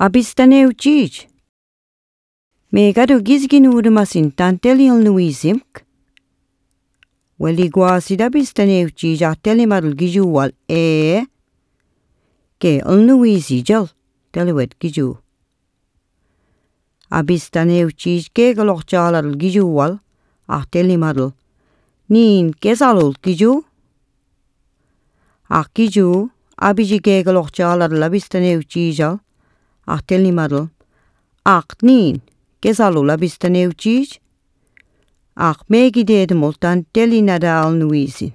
Abistaneu Gij. Megadu gizgin urmasin tantelil nuisimk. Weli guasid abistaneu Gij atelimarul gijuwal ke nuisijal teliwet giju. Abistaneu Gij keegalokjalarul gijuwal atelimarul niin kesalul giju. Giju abiji keegalokjalarul abistaneu Gij atelimarul niin kesalul abistaneu Gij. Meegi deedmul tantelinada al nuisin.